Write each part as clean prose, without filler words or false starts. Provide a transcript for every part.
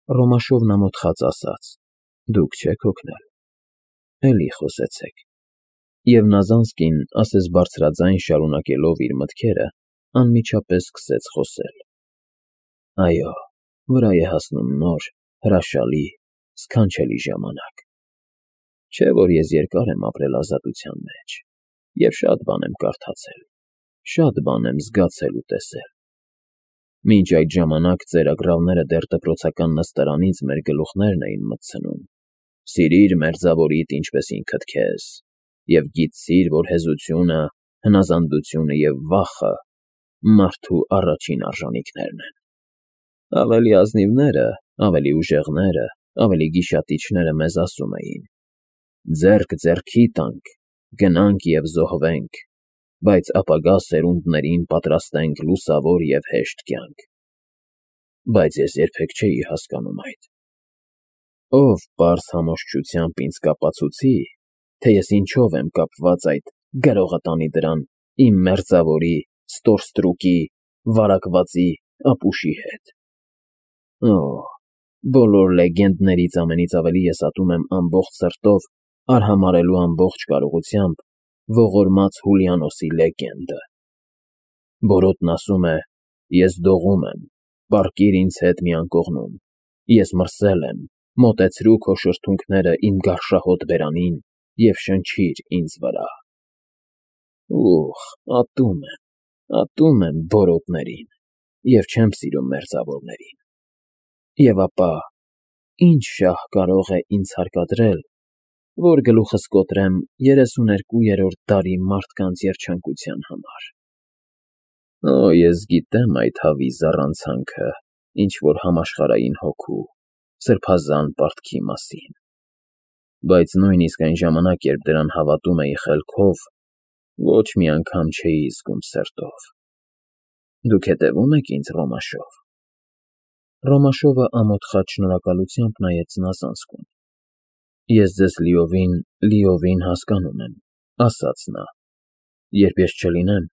Ռոմաշովն ամոթխած ասաց. Դուք չեք օգնել, էլի խոսեցեք։ Եվ Նազանսկին, ասես բարձրաձայն շարունակելով իր մտքերը, անմիջապես սկսեց խոսել. Այո, վրա է հասնում նոր, հրաշալի, սքանչելի ժամանակ։ Չէ՞ որ ես երկար եմ ապրել ազատության մեջ, և շատ բան եմ կարդացել, շատ բան եմ զգացել ու տեսել։ Մինչ այդ ժամանակ ծերագրավները դեռ դպրոցական նստարանից մեր գլուխներն էին մտցնում. «Սիրիր մերձավորիդ, ինչպես ինքդ քեզ», և գիտցիր, որ հեզությունը, հնազանդությունը և վախը մարդու առաջին արժանիքներն են։ Ավելի ազնիվները, ավելի ուժեղները, ավելի գիշատիչները մեզ ասում էին. «Ձեռք ձեռքի տանք, գնանք և զոհվենք, բայց ապագա սերունդներին պատրաստենք լուսավոր և հեշտ կյանք»։ Բայց ես երբեք չէի հասկանում այդ։ Ով պարզ համոզչությամբ ինձ կապացուցի, թե ես ինչով եմ կապված այդ «գրողը տանի դրան» իմ մերձավորի, ստորստրուկի, վարակվածի, ապուշի հետ։ Օհ, բոլոր լեգենդներից ամենից ավելի ես ատում եմ ամբողջ սրտով, արհամարհելու ամբողջ կարողությամբ ողորմած Հուլիանոսի լեգենդը։ Բորոտն ասում է. «Ես դողում եմ, պառկիր ինձ հետ մի անկողնում, ես մրսել եմ, մոտեցրու քո շրթունքները իմ գարշահոտ բերանին և շնչիր ինձ վրա»։ Ուխ, ատում եմ բորոտներին և չեմ սիրում մերձավորներին։ Եվ ապա, ի՞նչ շահ կարող է ինձ հարկադրել, որ գլուխս կոտրեմ 32-րդ դարի մարդկանց երջանկության համար։ Օ, ես գիտեմ այդ հավի զառանցանքը ինչ-որ համաշխարհային հոգու, սրբազան պարտքի մասին։ Բայց նույնիսկ այն ժամանակ, երբ դրան հավատում էի խելքով, ոչ մի անգամ չէի զգում սրտով։ Դուք հետևո՞ւմ եք ինձ, Ռոմաշով։ Ռոմաշովը ամոթխած շնորհակալությամբ նայեց Նազանսկուն։ Ես ձեզ լիովին հասկանում եմ, ասաց նա։ Երբ ես չլինեմ,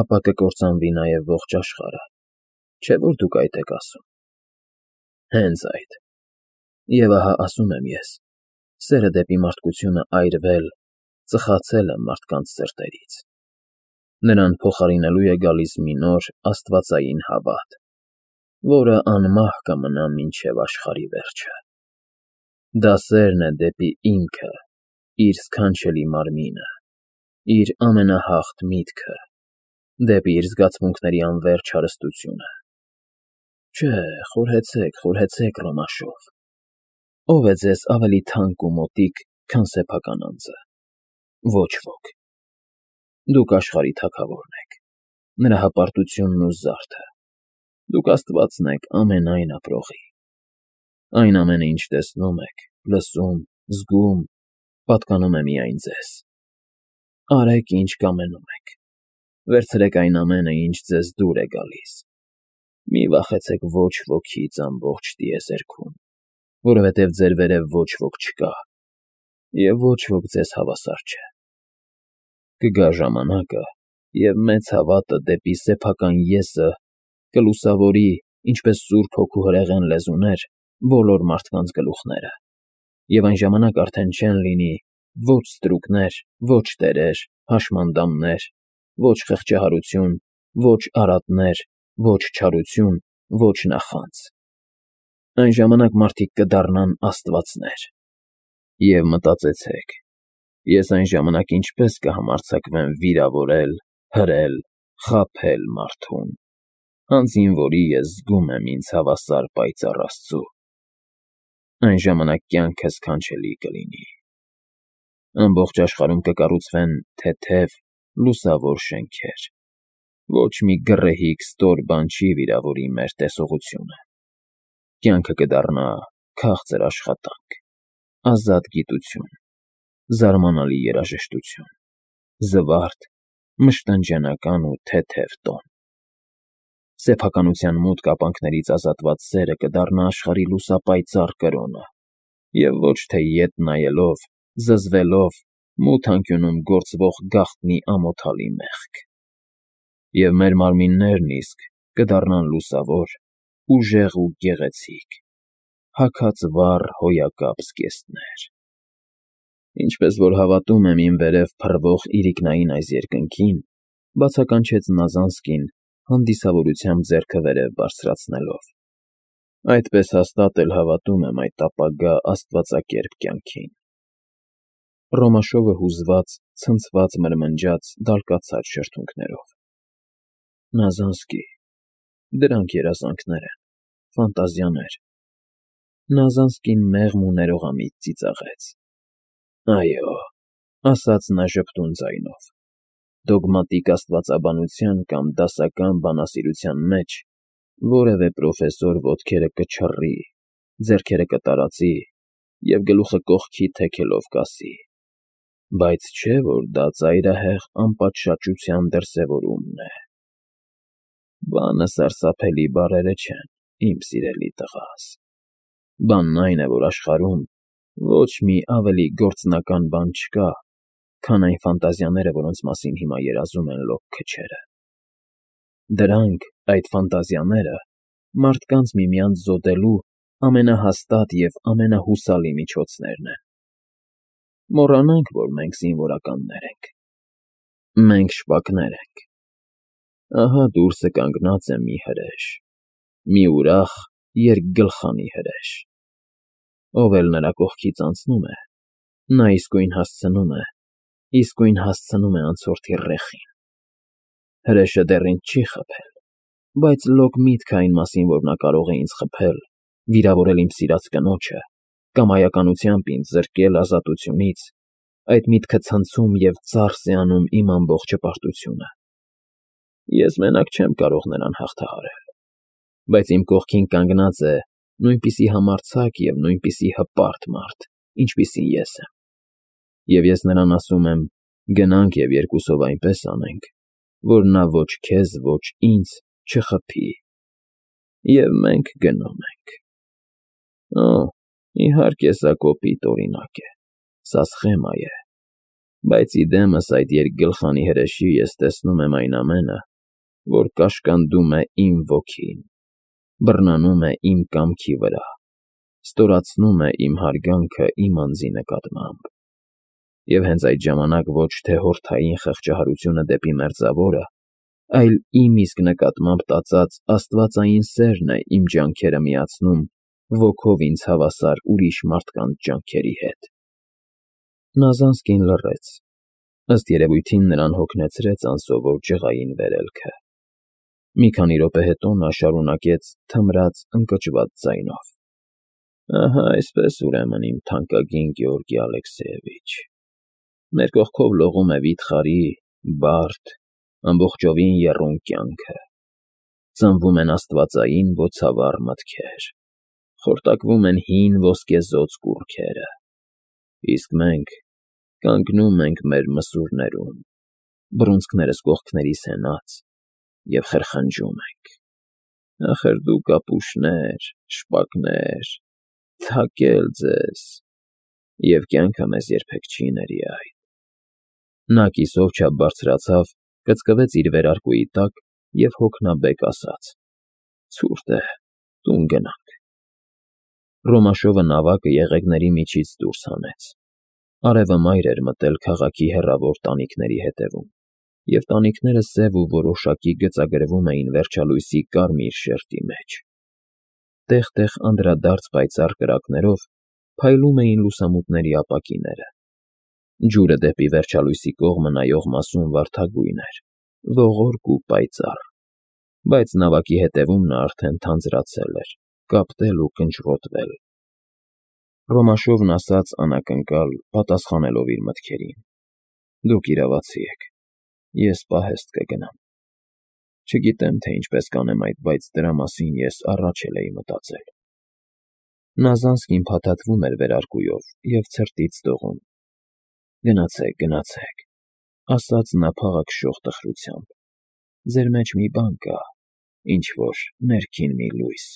ապա կկործանվի նաև ողջ աշխարհը, չէ՞ որ դուք այդ եք ասում։ Հենց այդ։ Եվ ահա ասում եմ ես, սերը դեպի մարդկությունը այրվել, ծխացել է մարդկանց սրտերից։ Նրան փոխարինելու է գալիս մի նոր աստվածային հավատ, որը անմահ կմնա մինչև աշխարհի վերջը։ Դա սերն է դեպի ինքը, իր սքանչելի մարմինը, իր ամենահաղթ միտքը, դեպի իր զգացմունքների անվերջ հարստությունը։ Չէ, խորհեցեք, Ռոմաշով։ Ո՞վ է ձեզ ավելի թանկ ու մոտիկ, քան սեփական անձը։ Ոչ ոք։ Դուք աշխարհի թագավորն եք, նրա հպարտությունն ու զարդը։ Դուք Աստվածն եք ամենայն ապրողի։ Այն ամենը, ինչ տեսնում եք, լսում, զգում, պատկանում է միայն ձեզ։ Արեք, ինչ կամենում եք։ Վերցրեք այն ամենը, ինչ ձեզ դուր է գալիս։ Մի վախեցեք ոչ ոքից ամբողջ տիեզերքում, որովհետև ձեր վերև ոչ ոք չկա, և ոչ ոք ձեզ հավասար չէ։ Կգա ժամանակը, և մեծ հավատը դեպի սեփական եսը կլուսավորի, ինչպես Սուրբ Հոգու հրեղեն լեզուներ, բոլոր մարդկանց գլուխները, և այն ժամանակ արդեն չեն լինի ոչ ստրուկներ, ոչ տերեր, հաշմանդամներ, ոչ խղճահարություն, ոչ արատներ, ոչ չարություն, ոչ նախանձ։ Այն ժամանակ մարդիկ կդառնան աստվածներ։ Եվ մտածեցեք, ես այն ժամանակ ինչպես կհամարձակվեմ վիրավորել, հրել, խաբել մարդուն, անձին, որի ես զգում եմ ինձ հավասար պայծառ Աստծու։ Այն ժամանակ կյանքը սքանչելի կլինի։ Ամբողջ աշխարհում կկառուցվեն թեթև, լուսավոր շենքեր։ Ոչ մի գռեհիկ ստոր բան չի վիրավորի մեր տեսողությունը։ Կյանքը կդառնա քաղցր աշխատանք, ազատ գիտություն, զարմանալի երաժշտություն, զվարթ, մշտանջանական ու թեթև տոն։ Սեփականության մութ կապանքներից ազատված սերը կդառնա աշխարհի լուսապայծառ կրոնը, և ոչ թե ետ նայելով, զզվելով, մութ անկյունում գործվող գաղտնի ամոթալի մեղք։ Եվ մեր մարմիններն իսկ կդառնան լուսավոր, ուժեղ ու գեղեցիկ, հագած վառ հոյակապ զգեստներ։ Ինչպես որ հավատում եմ իմ վերև փռվող իրիկնային այս երկնքին, բացականչեց Նազանսկին հանդիսավորությամբ ձեռքը վերև բարձրացնելով, այդպես հաստատ էլ հավատում եմ այդ ապագա աստվածակերպ կյանքին։ Ռոմաշովը հուզված, ցնցված մրմնջաց դալկացած շրթունքներով։ Նազանսկի, դրանք երազանքներ են, ֆանտազիաներ։ Նազանսկին մեղմ ու ներողամիտ ծիծաղեց։ Այո, ասաց նա ժպտուն ձայնով, դոգմատիկ աստվածաբանության կամ դասական բանասիրության մեջ որևէ պրոֆեսոր ոտքերը կչռի, ձեռքերը կտարածի և գլուխը կողքի թեքելով կասի. բայց չէ, որ դա ծայրահեղ անպատշաճության դրսևորումն է։ Բանը սարսափելի բառերը չեն, իմ սիրելի տղաս։ Բանն այն է, որ աշխարհում ոչ մի ավելի գործնական բան չկա, քան այն ֆանտազիաները, որոնց մասին հիմա երազում են լոկ քչերը։ Դրանք, այդ ֆանտազիաները, մարդկանց միմյանց զոդելու ամենահաստատ և ամենահուսալի միջոցներն են։ Մոռանանք, որ մենք զինվորականներ ենք։ Մենք շպակներ ենք։ Ահա դուրսը կանգնած է մի հրեշ, մի ուրախ երկգլխանի հրեշ։ Ով էլ նրա կողքից անցնում է, նա իսկույն հասցնում է անցորդի ռեխին։ Հրեշը դեռ ինձ չի խփել, բայց լոկ միտքը այն մասին, որ նա կարող է ինձ խփել, վիրավորել իմ սիրած կնոջը կամ այականությամբ ինձ զրկել ազատությունից, այդ միտքը ցնցում և ծարս է անում իմ ամբողջ հպարտությունը։ Ես մենակ չեմ կարող նրան հաղթահարել, բայց իմ կողքին կանգնած է նույնպիսի համարձակ և նույնպիսի հպարտ մարդ, ինչպիսին ես եմ։ Եվ ես նրան ասում եմ. գնանք և երկուսով այնպես անենք, որ նա ոչ քեզ, ոչ ինձ չխփի։ Եվ մենք գնում ենք։ Օ, իհարկե, սա կոպիտ օրինակ է, սա սխեմա է, բայց ի դեմս այդ երկգլխանի հրեշի ես տեսնում եմ այն ամենը, որ կաշկանդում է իմ ոգին, բռնանում է իմ կամքի վրա, ստորացնում է իմ հարգանքը իմ անձի նկատմամբ։ Եվ հենց այդ ժամանակ ոչ թե հորթային խղճահարությունը դեպի մերձավորը, այլ իմ իսկ նկատմամբ տածած աստվածային սերն է իմ ջանքերը միացնում ոգով ինձ հավասար ուրիշ մարդկանց ջանքերի հետ։ Նազանսկին լռեց, ըստ երևույթին նրան հոգնեցրեց անսովոր ջղային վերելքը։ Մի քանի րոպե հետո նա շարունակեց թմրած, ընկճված ձայնով. Ահա այսպես, ուրեմն, իմ թանկագին Գեորգի Ալեքսեևիչ, մեր կողքով լողում է վիթխարի, բարդ, ամբողջովին եռուն կյանքը, ծնվում են աստվածային բոցավառ մտքեր, խորտակվում են հին ոսկեզօծ կուռքերը, իսկ մենք կանգնում ենք մեր մսուրներում, բռունցքներս կողքներիս հենած, և խրխնջում ենք. ախր դուք ապուշներ, շպակներ, թակել ձեզ, և կյանքը մեզ երբեք չի ների այդ։ Նա կիսով չափ բարձրացավ, կծկվեց իր վերարկուի տակ և հոգնաբեկ ասաց. ցուրտ է, տուն գնանք։ Ռոմաշովը նավակը եղեգների միջից դուրս հանեց։ Արևը մայր էր մտել քաղաքի հեռավոր տանիքների հետևում, և տանիքները սև ու որոշակի գծագրվում էին վերջալույսի կարմիր շերտի մեջ։ Տեղ֊տեղ անդրադարձ պայծառ կրակներով փայլում էին լուսամուտների ապակիները։ Ջուրը դեպի վերջալույսի կողմը նայող մասում վարդագույն էր, ողորկ ու պայծառ, բայց նավակի հետևում նա արդեն թանձրացել էր, կապտել ու կնճռոտվել։ Ռոմաշովն ասաց անակնկալ, պատասխանելով իր մտքերին. դուք իրավացի եք, ես պահեստ կգնամ։ Չգիտեմ, թե ինչպես կանեմ այդ, բայց դրա մասին ես առաջ էլ էի մտածել։ Նազանսկին փաթաթվում էր վերարկուով և ցրտից դողում։ Գնացեք, գնացեք, ասաց նա փաղաքշող տխրությամբ, ձեր մեջ մի բան կա, ինչ-որ ներքին մի լույս։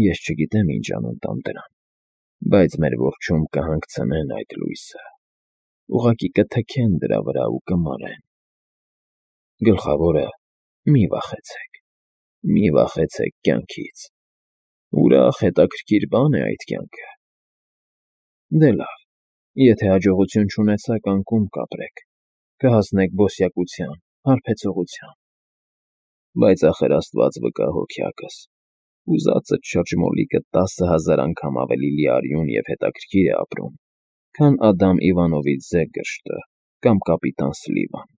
Ես չգիտեմ ինչ անուն տամ դրան, բայց մեր որջում կհանգցնեն այդ լույսը, ուղղակի կթքեն դրա վրա ու կմարեն։ Գլխավորը՝ մի վախեցեք կյանքից։ Ուրախ հետաքրքիր բան է այդ կյանքը։ Դե լավ, եթե հաջողություն չունեցաք, անկում կապրեք, կհասնեք բոսյակության, հարբեցողության։ Բայց ախր Աստված վկա հոգյակս, ուզածդ շրջմոլիկը 10,000 անգամ ավելի լիարյուն և հետաքրքիր է ապրում, քան Ադամ Իվանովիչ Զեգգերշտը կամ կապիտան Սլիվան։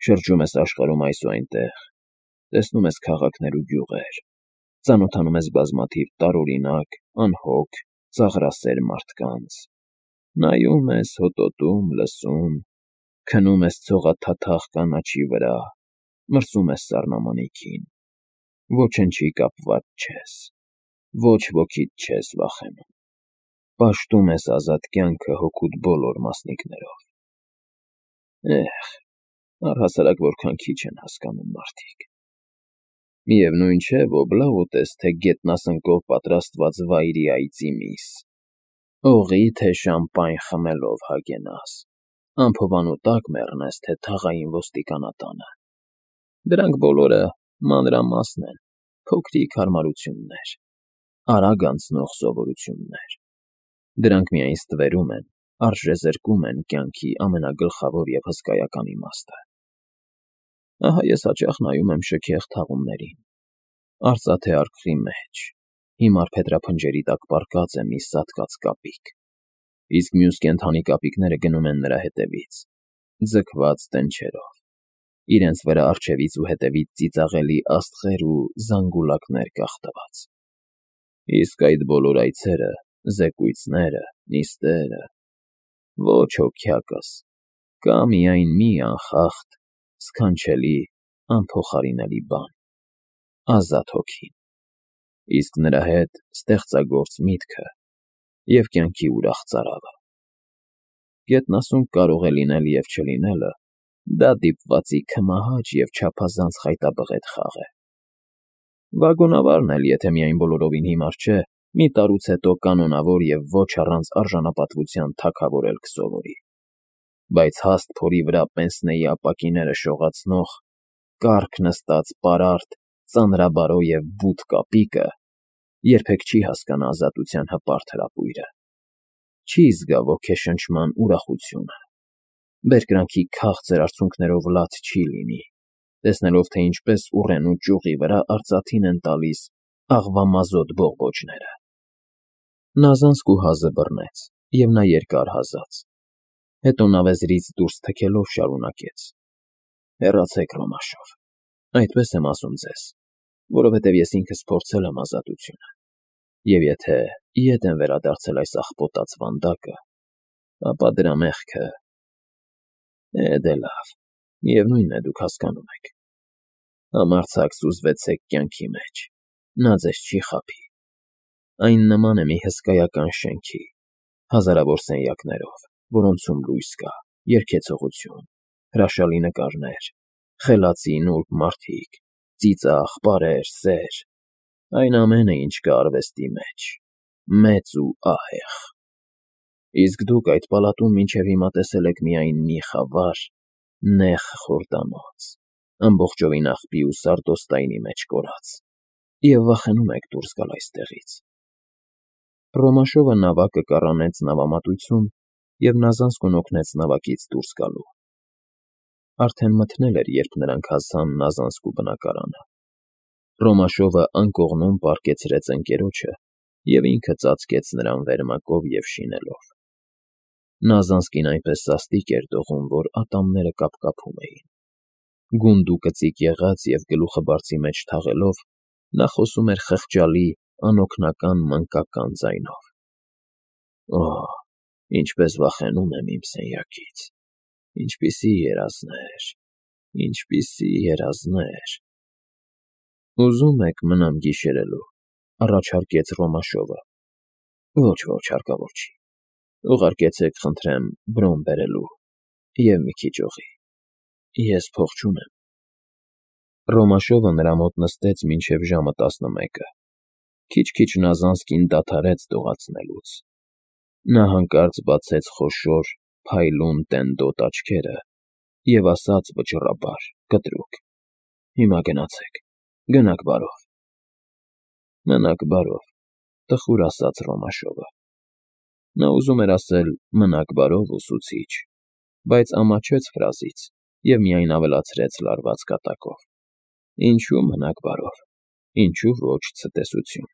Շրջում ես աշխարհում այս ու այնտեղ, տեսնում ես քաղաքներ ու գյուղեր, ծանոթանում ես բազմաթիվ տարօրինակ, անհոգ, ծաղրասեր մարդկանց, նայում ես, հոտոտում, լսում, քնում ես ցողաթաթախ կանաչի վրա, մրսում ես սառնամանիքին, ոչնչի կապված չես, ոչ ոքիդ չես վախենում, պաշտում ես ազատ կյանքը հոգուդ բոլոր մասնիկներով։ Առհասարակ որքան քիչ են հասկանում մարդիկ։ Միևնույն չէ, ոբլա ուտես, թե գետնասնկով պատրաստված վայրի այծի միս, օղի, թե շամպայն խմելով հագենաս, անփովանու տակ մեռնես, թե թաղային ոստիկանատանը։ Դրանք բոլորը մանրամասն են, փոքրիկ հարմարություններ, արագ անցնող սովորություններ։ Դրանք միայն ստվերում են, արժեզրկում են կյանքի ամենագլխավոր և հսկայական իմաստը։ Ահա ես հաճախ նայում եմ շքեղ թաղումներին, արծաթե արկղի մեջ, հիմար փետրափնջերի տակ պառկած է մի սատկած կապիկ, իսկ մյուս կենդանի կապիկները գնում են նրա հետևից, ձգված դնչերով, իրենց վրա առջևից ու հետևից ծիծաղելի աստղեր ու զանգուլակներ կախտված։ Իսկ այդ բոլոր այծերը, զեկույցները, նիստերը… Ոչ հոգյակս, կա միայն մի անխախտ, սքանչելի, անփոխարինելի բան՝ ազատ հոգին, իսկ նրա հետ ստեղծագործ միտքը և կյանքի ուրախ ծարավը։ Գետնասունկ կարող է լինել և չլինելը, դա դիպվածի քմահաճ և չափազանց խայտաբղետ խաղ է։ Վագոնավարն էլ, եթե միայն բոլորովին հիմար չէ, մի տարուց հետո կանոնավոր և ոչ առանց արժանապատվության թագավորել կսովորի։ Բայց հաստ փորի վրա պենսնեի ապակիները շողացնող, կառք նստած պարարտ, ծանրաբարո և բութ կապիկը երբեք չի հասկանա ազատության հպարտ հրապույրը, չի զգա ոգեշնչման ուրախությունը, բերկրանքի քաղցր արցունքներով լաց չի լինի, տեսնելով, թե ինչպես ուռենու ճյուղի վրա արծաթին են տալիս աղվամազոտ բողբոջները։ Նա զանզկու հազը բռնեց, և նա երկար հազաց, հետո նավեզրից դուրս թքելով շարունակեց. Հեռացեք Ռոմաշով, այդպես եմ ասում ձեզ, որովհետև ես ինքս փորձել եմ ազատությունը, և եթե ետ եմ վերադարձել այս աղբոտած վանդակը, ապա դրա մեղքը… Դե լավ, միևնույն է, դուք հասկանում եք։ Համարձակ սուզվեցեք կյանքի մեջ, նա ձեզ չի խաբի։ Այն նման է մի հսկայական շենքի, հազարավոր սենյակներով, որոնցում լույս կա, երգեցողություն, հրաշալի նկարներ, խելացի նուրբ մարդիկ, ծիծաղ, պարեր, սեր, այն ամենը, ինչ կա արվեստի մեջ, մեծ ու ահեղ։ Իսկ դուք այդ պալատում մինչև հիմա տեսել եք միայն մի խավար, նեղ խորտանոց, ամբողջովին աղբի ու սարդոստայնի մեջ կորած, և վախենում եք դուրս գալ այստեղից։ Ռոմաշովը նավակը կառանեց նավամատույցում, և նա զանզկուն օգնեց նավակից դուրս գալու։ Արդեն մթնել էր, երբ նրանք հասան նազանզկու բնակարանը։ Ռոմաշովը անկողնում պառկեցրեց ընկերոջը և ինքը ծածկեց նրան վերմակով և շինելով։ Նազանզկին այնպես սաստիկ էր դողում, որ ատամները կապկապում էին։ Գունդուկծիկ եղած և գլուխը բարձի մեջ թաղելով, նա խոսում էր խղճալի, անօգնական մանկական ձայնով. Օհ, ինչպես վախենում եմ իմ սենյակից, ինչպիսի երազներ, ինչպիսի երազներ… Ուզում եք մնամ գիշերելու, առաջարկեց Ռոմաշովը։ Ոչ, հարկավոր չի, ուղարկեցեք, խնդրեմ, Բրոն բերելու և մի քիչ օղի, ես փող չունեմ։ Ռոմաշովը նրա մոտ նստեց մինչև ժամը 11-ը, քիչ-քիչ Նազանզկին դադարեց դողացնելուց։ Նա հանկարծ բացեց խոշոր, փայլուն տենդոտ աչքերը և ասաց վճռաբար, կտրուկ. Հիմա գնացեք, գնաք բարով։ Մնաք բարով, տխուր ասաց Ռոմաշովը։ Նա ուզում էր ասել «մնաք բարով, ուսուցիչ», բայց ամաչեց ֆրազից և միայն ավելացրեց լարված կատակով. «Ինչու մնաք բարով, ինչու ոչ ցտեսություն»։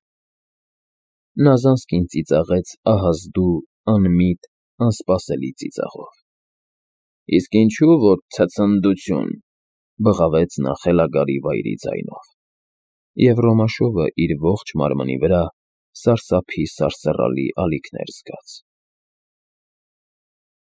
Նազանսկին ծիծաղեց ահազդու, անմիտ, անսպասելի ծիծաղով։ «Իսկ ինչու որ ցցնդություն», բղավեց նա խելագարի վայրի ձայնով, և Ռոմաշովը իր ողջ մարմնի վրա սարսափի սարսռալի ալիքներ զգաց։